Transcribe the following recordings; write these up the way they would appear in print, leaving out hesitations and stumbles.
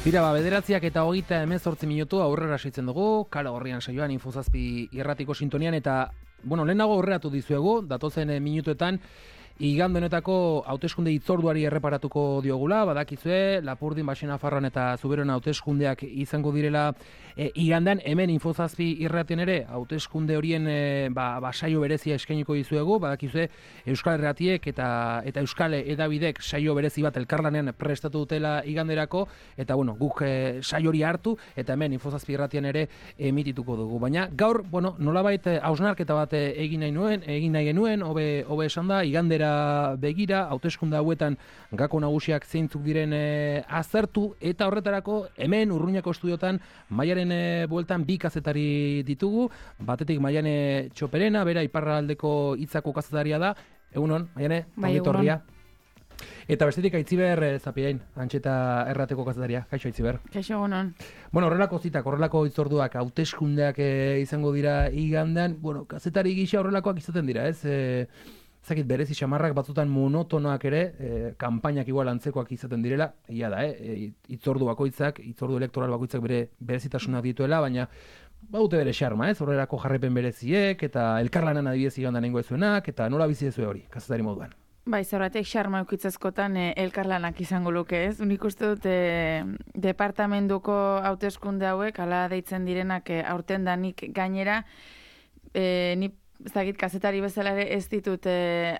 Tira, bederatziak eta 38 minutu aurrera segitzen dugu, Kale Gorrian saioan Infozazpi irratiko sintonian, eta, lehenago aurreratu dizuegu, datozen minutuetan, igande honetako hauteskunde hitzorduari erreparatuko diogula, badakizue, Lapurdin, Baxenafarroan eta Zuberoan hauteskundeak izango direla igandean, hemen Infozazpi irratien ere, hauteskunde horien saio berezia eskainiko dizuegu, badakizue, Euskal Herratiek eta Euskal Edabidek saio berezi bat elkarlanean prestatu dutela iganderako, eta guk saio hori hartu, eta hemen Infozazpi irratien ere emitituko dugu. Baina gaur, nolabait hausnarketa bat egin nahi genuen, hobe esan da, igandera begira, hauteskunde hauetan gako nagusiak zeintzuk diren aztertu, eta horretarako hemen Urruñako estudiotan Maiaren bueltan bi kazetari ditugu, batetik Maiane Txoperena, bera iparraldeko Hitzako kazetaria da. Egunon, Maiane, ongitorria. Eta bestetik Aitziber Zapiain, Antxeta Errateko kazetaria. Kaixo Aitziber. Kaixo, egunon. Horrelako zitak, horrelako hitzorduak, hauteskundeak izango dira igandean, kazetari gisa horrelakoak izaten dira, ez? Zakit berezi xamarrak batzutan monotonoak ere, kanpainak igual antzekoak izaten direla, egia da, hitzordu elektoral bakoitzak bere berezitasunak dituela, baina baute bere xarma, ez? Horrelako jarrepen bereziek, eta elkarlanan adibidez igandan nengo ezuenak, eta nola bizi dezue hori, kazetari moduan. Bai, zerratek xarma eukitzezkotan elkarlanak izango luke, ez? Unik uste dut departamentuko hauteskunde hauek, ala deitzen direnak aurten danik gainera, ni zagit kazetari bezala ere ez ditut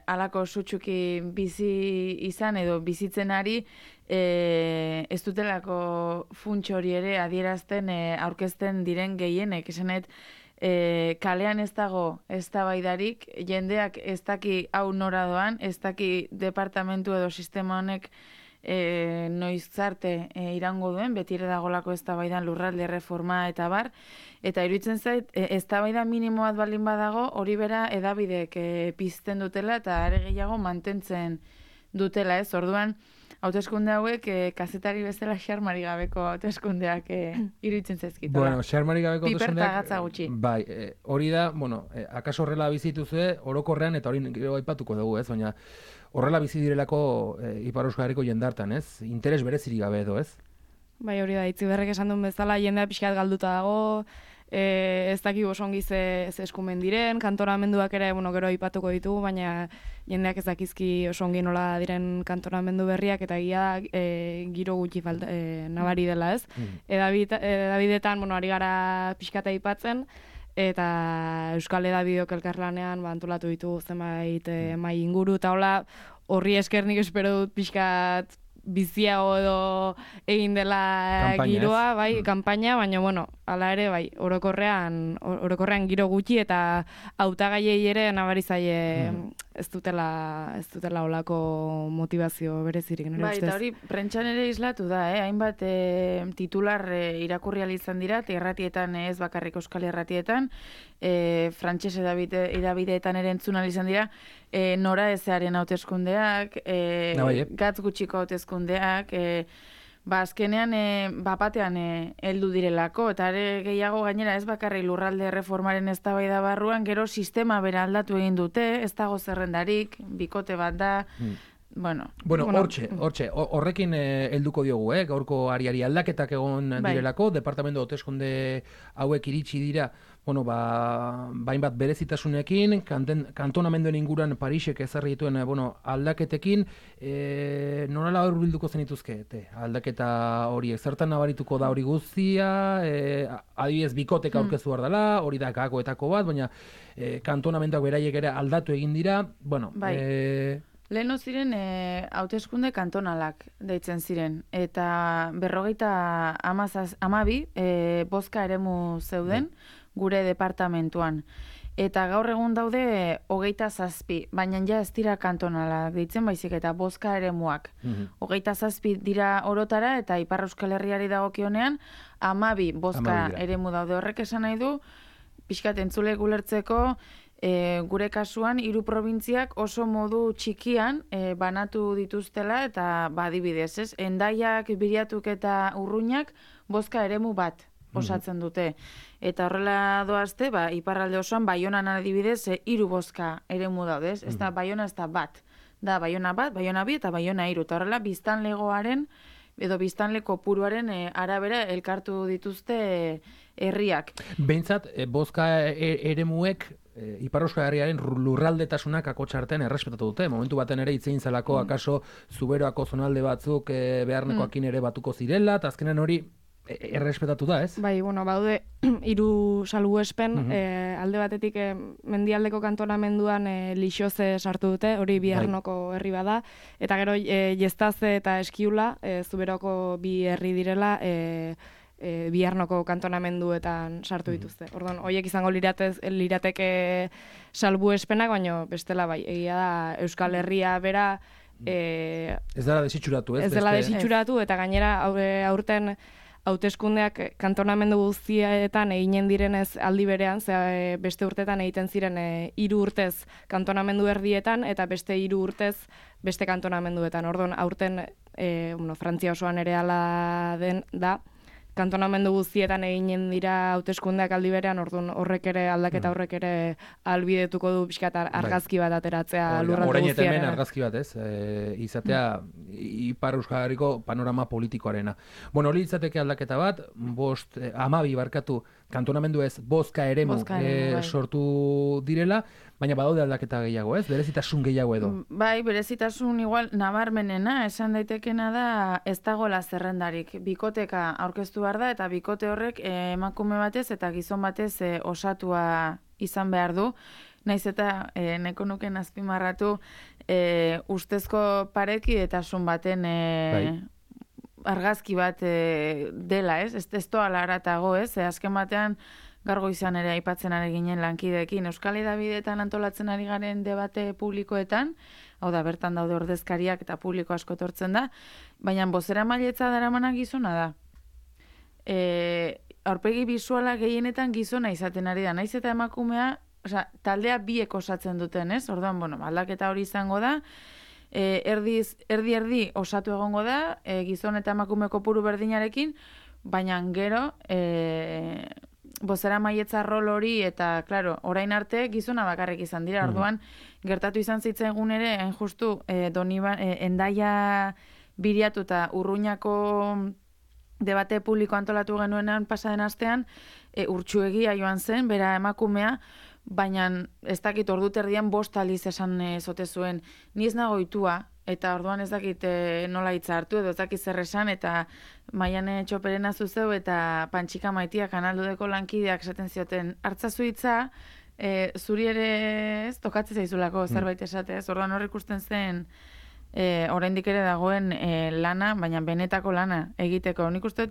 alako sutsuki bizi izan edo bizitzen ari, ez dutelako funts hori ere adierazten aurkezten diren gehienek, esanet, kalean ez dago eztabaidarik, jendeak ez daki hau nora doan, ez daki departamentu edo sistema honek noizarte irango duen, beti ere dagolako eztabaidan lurralde reforma eta bar, eta iruditzen zait, eztabaida minimo bat baldin badago, hori bera edabidek pizten dutela eta are gehiago mantentzen dutela, ez? Orduan, hauteskunde hauek kazetari bezala xarmari gabeko hauteskundeak iruditzen zaizkitola. Xarmari gabeko hauteskundeak... Piperta gatza gutxi. Bai, hori da, akaso horrela bizituzue, orokorrean, eta hori gero aipatuko dugu, ez? Baina horrela bizi direlako Ipar Euskal Herriko jendartan, ez? Interes berezirik gabe edo, ez? Bai, hori da, Itziberrek esan duen bezala, jendea pixkat galduta dago, ez dakik osongi ze eskumen diren, kantonamenduak ere, gero aipatuko ditugu, baina jendeak ez dakizki osongi nola diren kantonamendu berriak, eta giro gutxi nabari dela, ez? Edabidetan, ari gara pixkata aipatzen, eta Euskal Edabidok elkarlanean antolatu ditugu zenbait mai inguru, eta horri esker nik espero dut pixkat biziago edo egin dela giroa, bai, kanpaina, baina, hala ere, bai, orokorrean giro gutxi eta hautagaiei ere nabari zaie ez dutela olako motivazio berezirik, nire bai, ustez. Eta hori, prentxan ere islatu da, hainbat titular irakurri izan dira, erratietan ez bakarrik Euskal Herratietan, frantses edabideetan ere entzun izan dira, nora ezearen hauteskundeak, gatz gutxiko hauteskundeak, azkenean bapatean heldu direlako, eta ere gehiago gainera ez bakarri lurralde reformaren eztabaida barruan, gero sistema bera aldatu egin dute, ez dago zerrendarik, bikote bat da, horrekin helduko diogu, gaurko ariari aldaketak egon direlako, departamentu hauteskunde hauek iritsi dira, bainbat berezitasunekin, kantonamenduen inguruan Parisek ezarri dituen aldaketekin, norala hor bilduko zenituzke, aldaketa horiek, zertan nabarituko da hori guztia, adibidez bikotek aurkeztu behar dela, hori da gakoetako bat, baina kantonamenduak beraiek ere aldatu egin dira, Leheno ziren hauteskunde kantonalak deitzen ziren, eta 52 bozka eremu zeuden gure departamentuan. Eta gaur egun daude 27, baina ja ez dira kantonalak deitzen baizik eta bozka eremuak. 27 dira orotara eta Ipar Euskal Herriari dagokionean 12 bozka eremu daude. Horrek esan nahi du, pixkat entzule gulertzeko, gure kasuan, 3 probintziak oso modu txikian banatu dituztela eta adibidez, ez? Hendaiak, Biriatuk eta Urruñak bozka eremu bat osatzen dute. Eta horrela doazte, iparralde osoan, Baionan adibidez, 3 bozka eremu daude, ez da Baiona ez da bat. Da Baiona bat, Baiona bi eta Baiona 3. Eta horrela biztanlegoaren edo biztanle kopuruaren arabera elkartu dituzte herriak. Behintzat, bozka eremuek Ipar Euskal Herriaren lurraldetasunak akotxartean errespetatu dute. Momentu baten ere hitzein zelako akaso Zuberoako zonalde batzuk beharnekoakin ere batuko zirela, eta azkenan hori errespetatu da, ez? Bai, bueno, baude 3 salbuespen, alde batetik mendialdeko kantonamenduan Lixoze sartu dute, hori Biarnoko herri bada, eta gero Jestaze eta Eskiula, Zuberoko 2 herri direla, Biarnoko kantonamenduetan sartu dituzte. Orduan, horiek izango lirateke salbuespenak, baina bestela bai, egia da Euskal Herria bera ez dela desitxuratu, ez? Ez dela desitxuratu, eta gainera aurten hauteskundeak kantonamendu guztietan eginen direnez aldi berean, beste urtetan egiten ziren 3 urtez kantonamendu erdietan, eta beste 3 urtez beste kantonamenduetan. Orduan, aurten Frantzia osoan ere ala da, kantonamendu guztietan eginen dira hauteskundeak aldi berean, orduan horrek ere aldaketa horrek ere albidetuko du pixkat argazki bat ateratzea lurralde guztiaren. Orain hemen argazki bat, ez? Izatea Ipar Euskal Herriko panorama politikoarena. Bueno, hori izateke aldaketa bat, 12 barkatu kantonamendu ez bozka eremu sortu direla, baina badaude aldaketa gehiago, ez? Berezitasun gehiago edo. Bai, berezitasun igual nabarmenena, esan daitekena da ez dagoela zerrendarik. Bikoteka aurkeztu behar da, eta bikote horrek emakume batez eta gizon batez osatua izan behar du. Naiz eta nahiko nuken azpimarratu ustezko parekidetasun baten argazki bat dela, ez? Ez toala aratago, ez? Azken batean gargo izan ere aipatzen ari ginen lankideekin. Euskal Hedabideetan antolatzen ari garen debate publikoetan, hau da, bertan daude ordezkariak eta publiko asko etortzen da, baina bozeramailetza daramanak gizona da. Aurpegi bisuala gehienetan gizona izaten ari da. Naiz eta emakumea, taldea biek osatzen duten, ez? Orduan, aldaketa hori izango da, erdi osatu egongo da, gizon eta emakume kopuru berdinarekin, baina gero bozeramailetza rol hori eta, klaro, orain arte gizona bakarrik izan dira. Orduan, gertatu izan zitzaigun ere, justu, Hendaia Biriatu eta Urruñako debate publiko antolatu genuenean pasaden astean, Urtsuegia joan zen, bera emakumea, baina ez dakit ordu terdian 5 aldiz esan zote zuen. Ni ez nago ohitua, eta orduan ez dakit nola hitza hartu, edo ez dakit zer esan, eta Maiane Txoperena zuzeu eta Pantxika Maitia Kanaldudeko lankideak esaten zioten, hartzazu hitza, zuri ere ez tokatzen zaizulako zerbait esate, orduan hor ikusten zen oraindik ere dagoen lana, baina benetako lana egiteko. Nik uste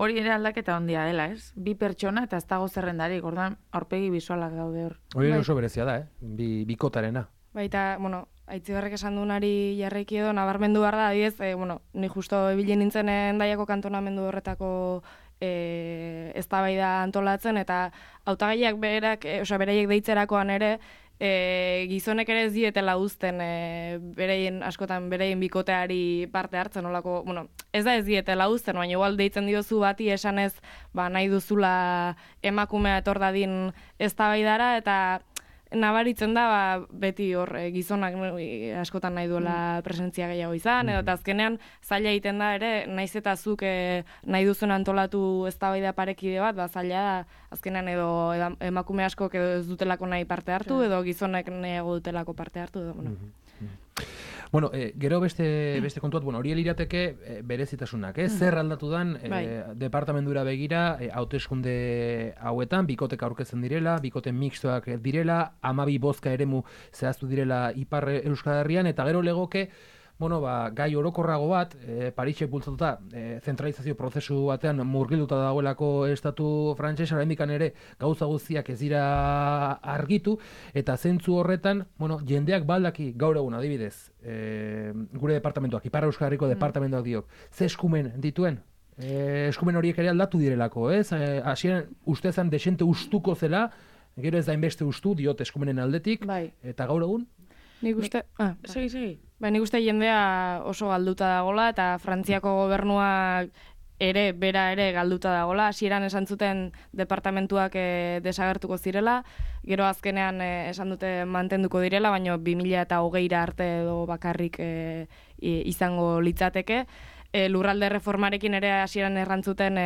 hori ere aldaketa handia dela, ez? 2 pertsona eta ez dago zerrendarik, orduan aurpegi bisualak daude hor. Hori oso berezia da, bikotarena. Baita, Aitziberrek esan duenari jarraiki edo nabarmendu behar da, adiez, ni justo ebilen nintzen Hendaiako kantonamendu horretako eztabaida antolatzen, eta hautagaiak beraiek deitzerakoan ere, gizonek ere ez dietela uzten askotan bereien bikoteari parte hartzen, olako, ez da ez dietela uzten, baina igual deitzen diozu bati esanez, nahi duzula emakumea etor dadin eztabaidara, eta nabaritzen da beti hor gizonak askotan nahi duela presentzia gehiago izan, edo azkenean zaila egiten da ere, naiz eta zuk nahi duzun antolatu eztabaida parekide bat, zaila da azkenean edo emakume askok edo ez dutelako nahi parte hartu, edo gizonek nahiago dutelako parte hartu, edo, Bueno, gero beste kontuat, hori lirateke berezitasunak, zer aldatu dan departamendura begira, hauteskunde hauetan, bikotek aurkezten direla, bikote mixtoak direla, 12 bozka eremu zehaztu direla Ipar Euskal Herrian, eta gero legoke, gai orokorrago bat, Parisek bultzatuta, zentralizazio prozesu batean murgilduta dagoelako estatu frantsesa, oraindikan ere gauza guztiak ez dira argitu, eta zentzu horretan, jendeak baldaki gaur egun adibidez, gure departamentuak, Ipar Euskal Herriko departamentuak diok, ze eskumen dituen? Eskumen horiek ere aldatu direlako, ez? Hasieran ustezan desente ustuko zela, gero ez da inbeste ustu, diot eskumenen aldetik, eta gaur egun? Nik uste... Segi. Nik uste jendea oso galduta dagola, eta Frantziako gobernuak bera ere galduta dagola. Hasieran esan zuten departamentuak desagertuko zirela, gero azkenean esan dute mantenduko direla, baina 2020 arte edo bakarrik izango litzateke. lurralde reformarekin ere hasieran errantzuten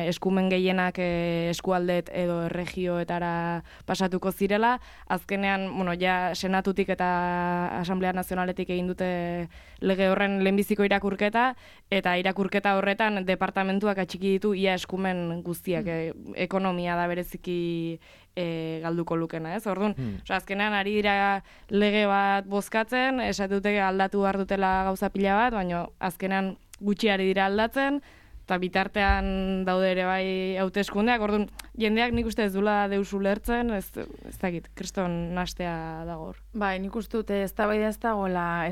eskumen gehienak eskualdet edo erregioetara pasatuko zirela. Azkenean, ja Senatutik eta Asamblea Nazionaletik egin dute lege horren lehenbiziko irakurketa, eta irakurketa horretan departamentuak atxiki ditu ia eskumen guztiak. Ekonomia da bereziki galduko lukena, ez? Orduan, azkenean ari dira lege bat bozkatzen, esatute aldatu behar dutela gauza pila bat, baina azkenean gutxi ari dira aldatzen, eta bitartean daude ere bai hauteskundeak. Orduan, jendeak nik uste ez dula deus ulertzen, ez dakit, kriston nastea dago hor. Bai, nik uste dute eztabaida ez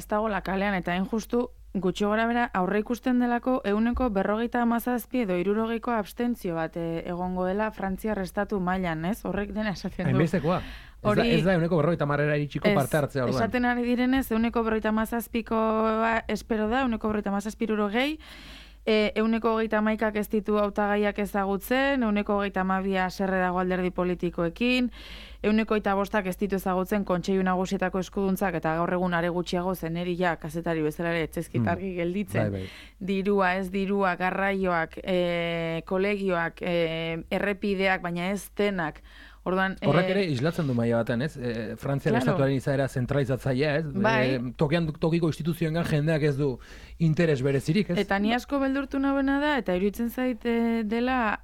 dagoela kalean, eta hain justu gutxi gora bera aurre ikusten delako 47 edo 60ko abstentzio bat egongo dela Frantziar estatu mailan, ez? Horrek dena esaten du. Hainbestekoa. Ez da 50 iritsiko parte hartzea orduan. Esaten ari direnez 157koa espero da, 157 131ak ez ditu hautagaiak ezagutzen, 132 haserre dago alderdi politikoekin, 125ak ez ditu ezagutzen kontseilu nagusietako eskuduntzak, eta gaur egun are gutxiago zeneri ja kazetari bezala ere etxezkit argi gelditzen. Bai. Dirua, ez dirua, garraioak, kolegioak, errepideak, baina ez denak. Orduan, horrek ere islatzen du maila batean, ez? Frantzian estatuaren izaera zentralizatzailea, ez? Bai. Tokiko instituzioengan jendeak ez du interes berezirik, ez? Eta ni asko beldurtu nagoena da, eta iruditzen zait dela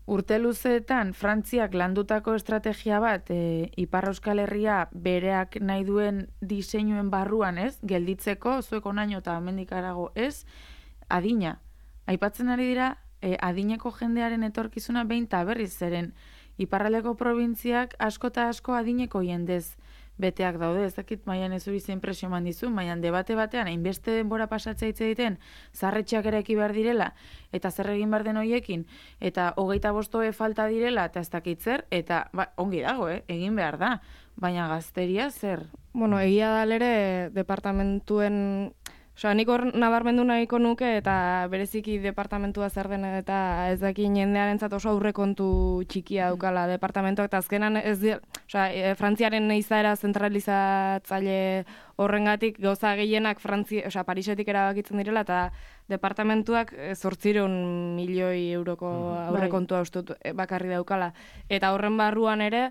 urte luzeetan Frantziak landutako estrategia bat Ipar Euskal Herria bereak nahi duen diseinuen barruan, ez? Gelditzeko, zuek onaino eta hemendik harago, ez? Adina. Aipatzen ari dira, adineko jendearen etorkizuna behin eta berriz zeren iparraldeko probintziak asko eta asko adineko jendez beteak daude. Ez dakit maian ez hori zein presio eman dizu, maian debate batean hainbeste denbora pasatzea hitz egiten zaharretxeak eraiki behar direla eta zer egin behar den hoiekin eta 25 falta direla eta ez dakit zer, eta ongi dago, egin behar da, baina gazteria zer? Egia da ere departamentuen nik hor nabarmendu nahiko nuke, eta bereziki departamentua zer den, eta ez dakin jendearentzat oso aurrekontu txikia daukala departamentuak, eta azkenan Frantziaren izaera zentralizatzaile horrengatik gauza gehienak Parisetik erabakitzen direla, eta departamentuak 800 milioi euroko aurrekontua ustut bakarri daukala. Eta horren barruan ere,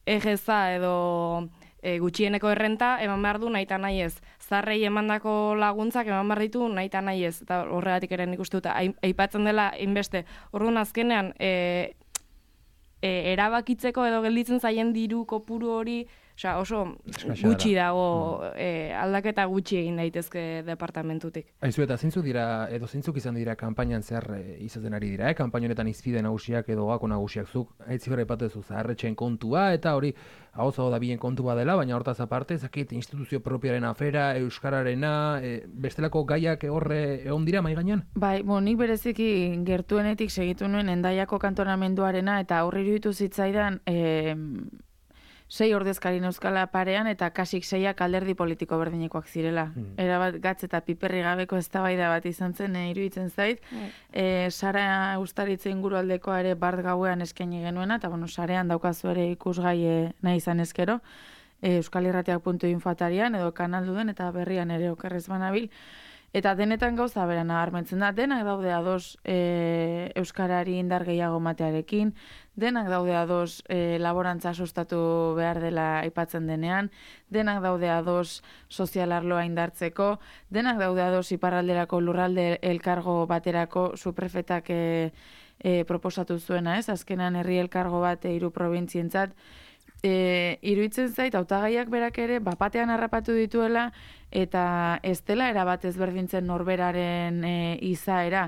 egeza edo gutxieneko errenta eman behar du nahi eta nahi ez. Zarrei emandako laguntzak eman behar ditu nahi eta nahi ez. Eta horregatik ere nik uste dut, aipatzen dela inbeste. Orduan azkenean, erabakitzeko edo gelditzen zaien diru kopuru hori, oso gutxi dago, aldaketa gutxi egin daitezke departamentutik. Aizu, eta zeintzuk izan dira kanpainan zer izaten ari dira, kanpaina honetan izpide nagusiak edo gako nagusiak zuk, aitzi gara ipatu zaharretxeen kontua, eta hori hauzago da bilen kontua dela, baina hortaz aparte, zakit instituzio propioaren afera, euskararena, bestelako gaiak horre egon dira mai gainean? Bai, nik bereziki gertuenetik segitu nuen Hendaiako kantonamenduarena, eta horri iruditu zitzaidan 6 ordezkarin euskala parean eta kasik 6ak alderdi politiko berdinekoak zirela. Erabat gatz eta piperri gabeko eztabaida bat izan zen, iruditzen zait. Sara Ustaritze ingurualdekoa ere bart gauean eskaini genuena, eta sarean daukazu ere ikusgai nahi izan ezkero, euskalirratiak.info atarian edo kanalduden eta berrian ere okerrez banabil. Eta denetan gauza bera nabarmentzen da, denak daude ados euskarari indar gehiago matearekin, denak daude ados laborantza sustatu behar dela aipatzen denean, denak daude ados sozialarloa indartzeko, denak daude ados iparralderako lurralde elkargo baterako suprefetak proposatu zuena, ez? Azkenan herri elkargo bat 3 probintzientzat, iruditzen zait, hautagaiak berak ere bapatean harrapatu dituela, eta ez dela erabat ezberdintzen norberaren izaera.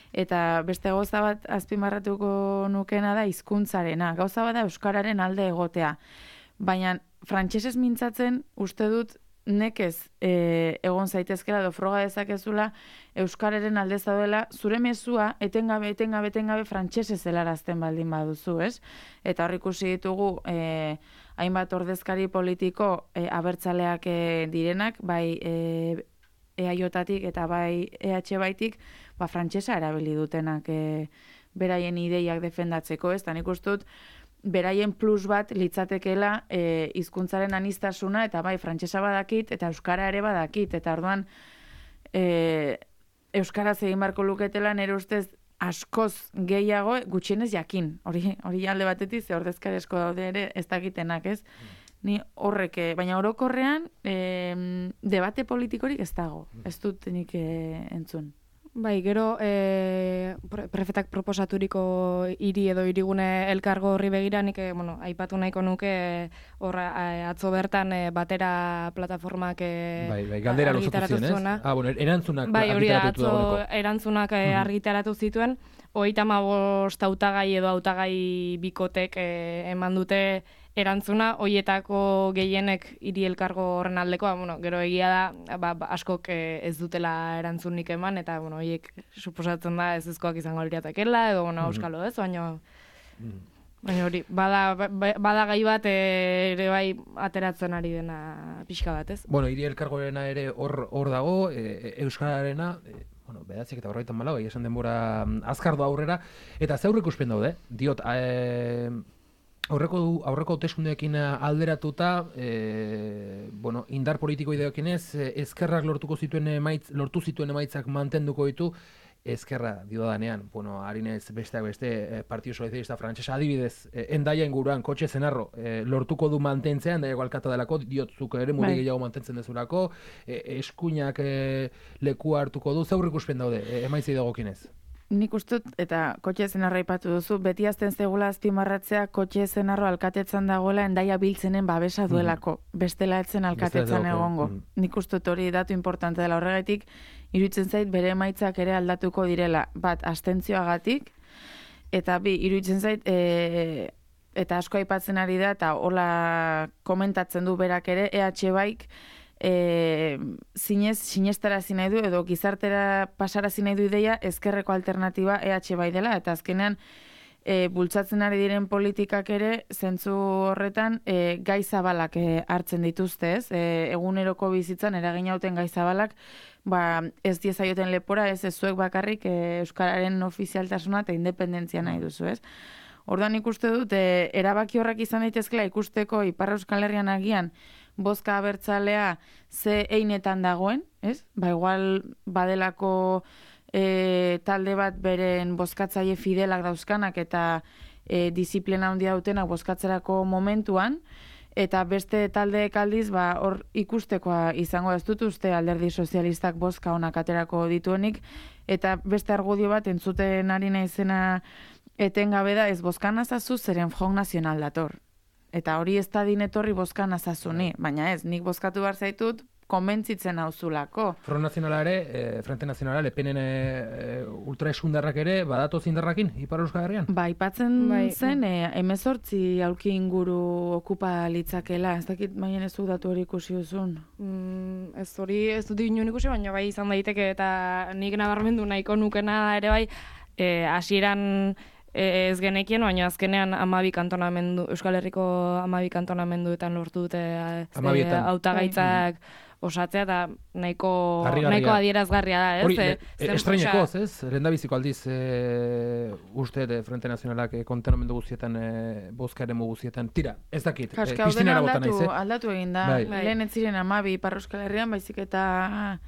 Eta beste gauza bat azpimarratuko nukena da hizkuntzarena. Gauza bat da euskararen alde egotea. Baina frantsesez mintzatzen uste dut nekez egon zaitezkela edo froga dezakezula euskararen alde zaudela, zure mezua etengabe frantsesez helarazten baldin baduzu, ez? Eta hor ikusi ditugu hainbat ordezkari politiko abertzaleak direnak, bai EAJtik eta bai EH baitik, frantsesa erabili dutenak beraien ideiak defendatzeko, ez? Eta nik uste dut beraien plus bat litzatekela hizkuntzaren aniztasuna, eta bai frantsesa badakit eta euskara ere badakit, eta orduan euskaraz egin barko luketela nire ustez askoz gehiago gutxienez jakin. Hori alde batetik ze ordezkarezko daude ere ez dakitenak, ez? Ni horrek, baina orokorrean debate politikorik ez dago. Ez dut nik entzun. Bai, gero prefetak proposaturiko hiri edo hirigune elkargo horri begira nik aipatu nahiko nuke atzo bertan batera plataformak galdera luzatu ziren, ez? Erantzunak argitaratu dagoeneko. Bai, erantzunak argitaratu zituen, 35 hautagai edo hautagai bikotek eman dute erantzuna, hoietako gehienek hiri elkargo horren aldekoa, gero egia da, askok ez dutela erantzunik eman, eta, hoiek suposatzen da ez ezkoak izango liratekela, edo, euskalo ez, baina hori, bada gai bat ere bai ateratzen ari dena pixka bat, ez? Hiri elkargoarena ere hor dago, euskararena, bedatzik eta 44, esan denbora azkardo aurrera, eta ze aurreikuspen daude, diot, aurreko hauteskundeekin alderatuta, indar politiko ideokinez, ezkerrak lortu zituen emaitzak mantenduko ditu, ezkerra diodanean, harinez besteak beste Partido Socialista Frantsesa adibidez, Hendaia inguruan kotxe zenarro lortuko du mantentzea, Hendaiako alkata delako, diotzuk ere muri gehiago mantentzen dezulako, eskuinak leku hartuko du, zaur ikuspen daude, emaitzei dagokinez. Nik ustut, eta kotxe zenarra ipatu duzu, beti azten zegula azpimarratzea kotxe zenarro alkatetzan dagoela Hendaia biltzenen babesa duelako, bestela etzen alkatetzan egongo. Nik ustut hori datu importante dela horregatik, iruditzen zait bere emaitzak ere aldatuko direla, bat abstentzioagatik, eta bi, iruditzen zait, eta asko aipatzen ari da, eta hola komentatzen du berak ere, EH Baik, sinestarazi nahi du edo gizartera pasarazi nahi du ideia ezkerreko alternatiba EH Bai dela, eta azkenean bultzatzen ari diren politikak ere zentzu horretan gai zabalak hartzen dituzte, ez? Eguneroko bizitzan eragin hauten gai zabalak, ez diezaioten lepora, ez zuek bakarrik euskararen ofizialtasuna eta independentzia nahi duzu, ez? Orduan ikuste dut, erabaki horrek izan daitezkela ikusteko Ipar Euskal Herrian agian bozka abertzalea ze einetan dagoen, ez? Igual badelako talde bat beren bozkatzaile fidelak dauzkanak eta disiplina handia dutenak bozkatzerako momentuan, eta beste taldeek aldiz hor ikustekoa izango ez dut uste Alderdi Sozialistak bozka onak aterako dituenik, eta beste argudio bat entzuten ari naizena etengabe da ez bozkan azazu zeren Front Nacional dator. Eta hori ez da dinetorri bozkan azazuni, baina ez, nik bozkatu behar zaitut konbentzitzen hauzulako. Front Nacionala ere, Frente Nacionala, lepenen ultraesundarrak ere, badatoz indarrakin, Ipar Euskal Herrian? Aipatzen zen, 18 aulki inguru okupa litzakela, ez dakit baina ez datu hori ikusi duzun. Ez hori ez dut inun ikusi, baina bai izan daiteke, eta nik nabarmendu nahiko nukena ere bai, hasieran ez genekien, baina azkenean Euskal Herriko 12 kantonamenduetan lortu dute hautagaitzak osatzea, eta nahiko adierazgarria da, ez? Hori, estreinekoz, ez? Lehendabiziko aldiz uste Frente Nacionalak kontenamendu guztietan, bozka eremu guztietan, tira, ez dakit, pistinara bota naiz, aldatu egin da, lehen ez ziren 12 Ipar Euskal Herrian, baizik eta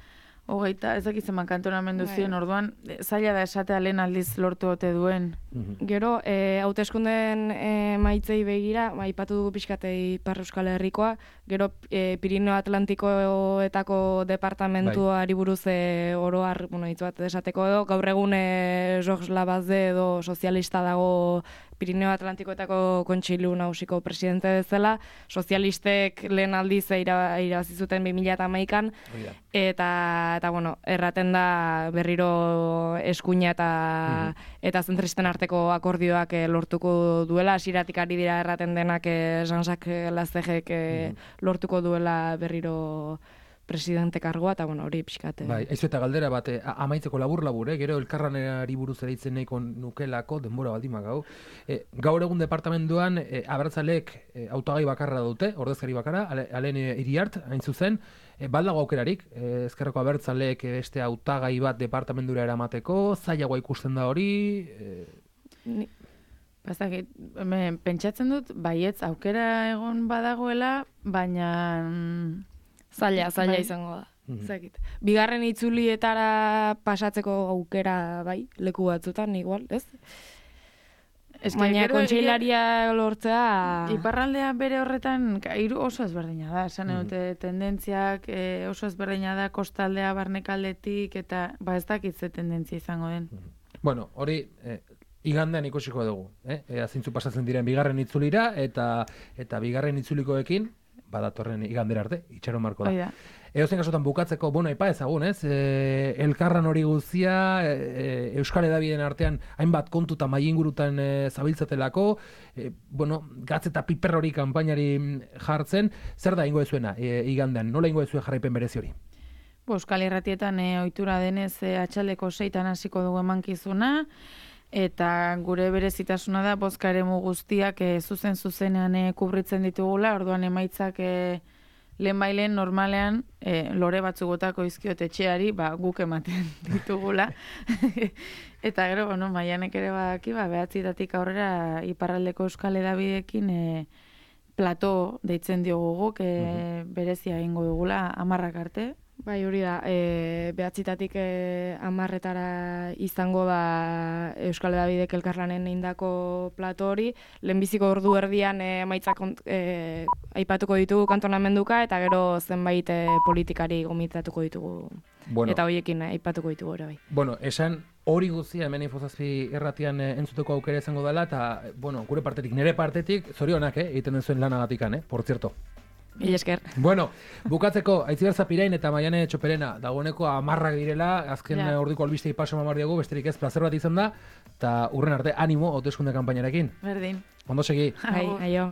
hogeita, ez dakitzen kantonamendu ziren, orduan, zaila da esatea lehen aldiz lortu ote duen. Gero, hauteskundeen maitzei begira, aipatu dugu pixkate Ipar Euskal Herrikoa, gero Pirineo Atlantikoetako departamentuari buruz oroar, hitz bat esateko edo, gaur egun Georges Labazde edo sozialista dago Pirineo Atlantikoetako kontseilu nagusiko presidente bezala, sozialistek lehen aldiz irabazi zuten 2011an, eta erraten da berriro eskuina eta zentristen arteko akordioak lortuko duela, hasieratik ari dira erraten denak Jean-Jacques Lastegek lortuko duela berriro presidente kargoa, eta hori pixkate. Aizu eta galdera bat, amaitzeko labur, gero elkarranari buruz ereitzen nahiko nukelako, denbora baldima gau. Gaur egun departamentuan, abertzaleek hautagai bakarra dute, ordezkari bakarra, Alen Iriart, hain zuzen, baldago aukerarik, ezkerreko abertzaleek beste hautagai bat departamentura eramateko, zailagoa ikusten da hori... Pentsatzen dut, baietz aukera egon badagoela, baina... Zaila izango da. Zakit. Bigarren itzulietara pasatzeko aukera bai, leku batzutan igual, ez? Baina kontseilaria lortzea... Iparraldea bere horretan oso ezberdina da, esan dute tendentziak oso ezberdina da kostaldea barnekaldetik eta ez dakit ze tendentzia izango den. Bueno, hori igandean ikusiko dugu, zintzu pasatzen diren bigarren itzulira eta bigarren itzulikoekin badatorren igandera arte, itxaron marko da. Oida. Edozen kasutan bukatzeko, aipa ezagun, elkarran hori guztia, Euskal Hedabideen artean hainbat kontuta mailingurutan zabiltzatelako, gatz eta piper hori kanpainari jartzen, zer da ingo ezuena igandean, nola ingo ezue jarraipen berezi hori? Euskal Irratietan ohitura denez atxaldeko 6 hasiko dugu emankizuna, eta gure berezitasuna da bozka eremu guztiak zuzenean kubritzen ditugula, orduan emaitzak lehenbailen normalean lore batzuk botako izkiot etxeari, guk ematen ditugula. Eta gero, Maianek ere badaki, 9:00 aurrera iparraldeko Euskal Hedabideekin plato deitzen diogu guk, berezia egingo dugula 10 arte. Bai, hori da, 9:00 10:00 izango da Euskal Hedabidek elkarlanen indako plato hori, lehenbiziko ordu erdian emaitzak aipatuko ditugu kantonamenduka, eta gero zenbait politikari gomitatuko ditugu, eta horiekin aipatuko ditugu ere bai. Esan hori guztia hemen Infozazpi irratian entzuteko aukera izango dela, eta gure partetik, nire partetik, zorionak egiten den zuen lanagatikan, por cierto. Esker. Bukatzeko, Aitziber Zapirain eta Maiane Txoperena, dagoeneko 10 direla, azken ordiko albistei paso mamar diegu, besterik ez plazer bat izan da, eta urren arte animo hauteskunde kanpainarekin. Berdin. Ondo segi. Aio.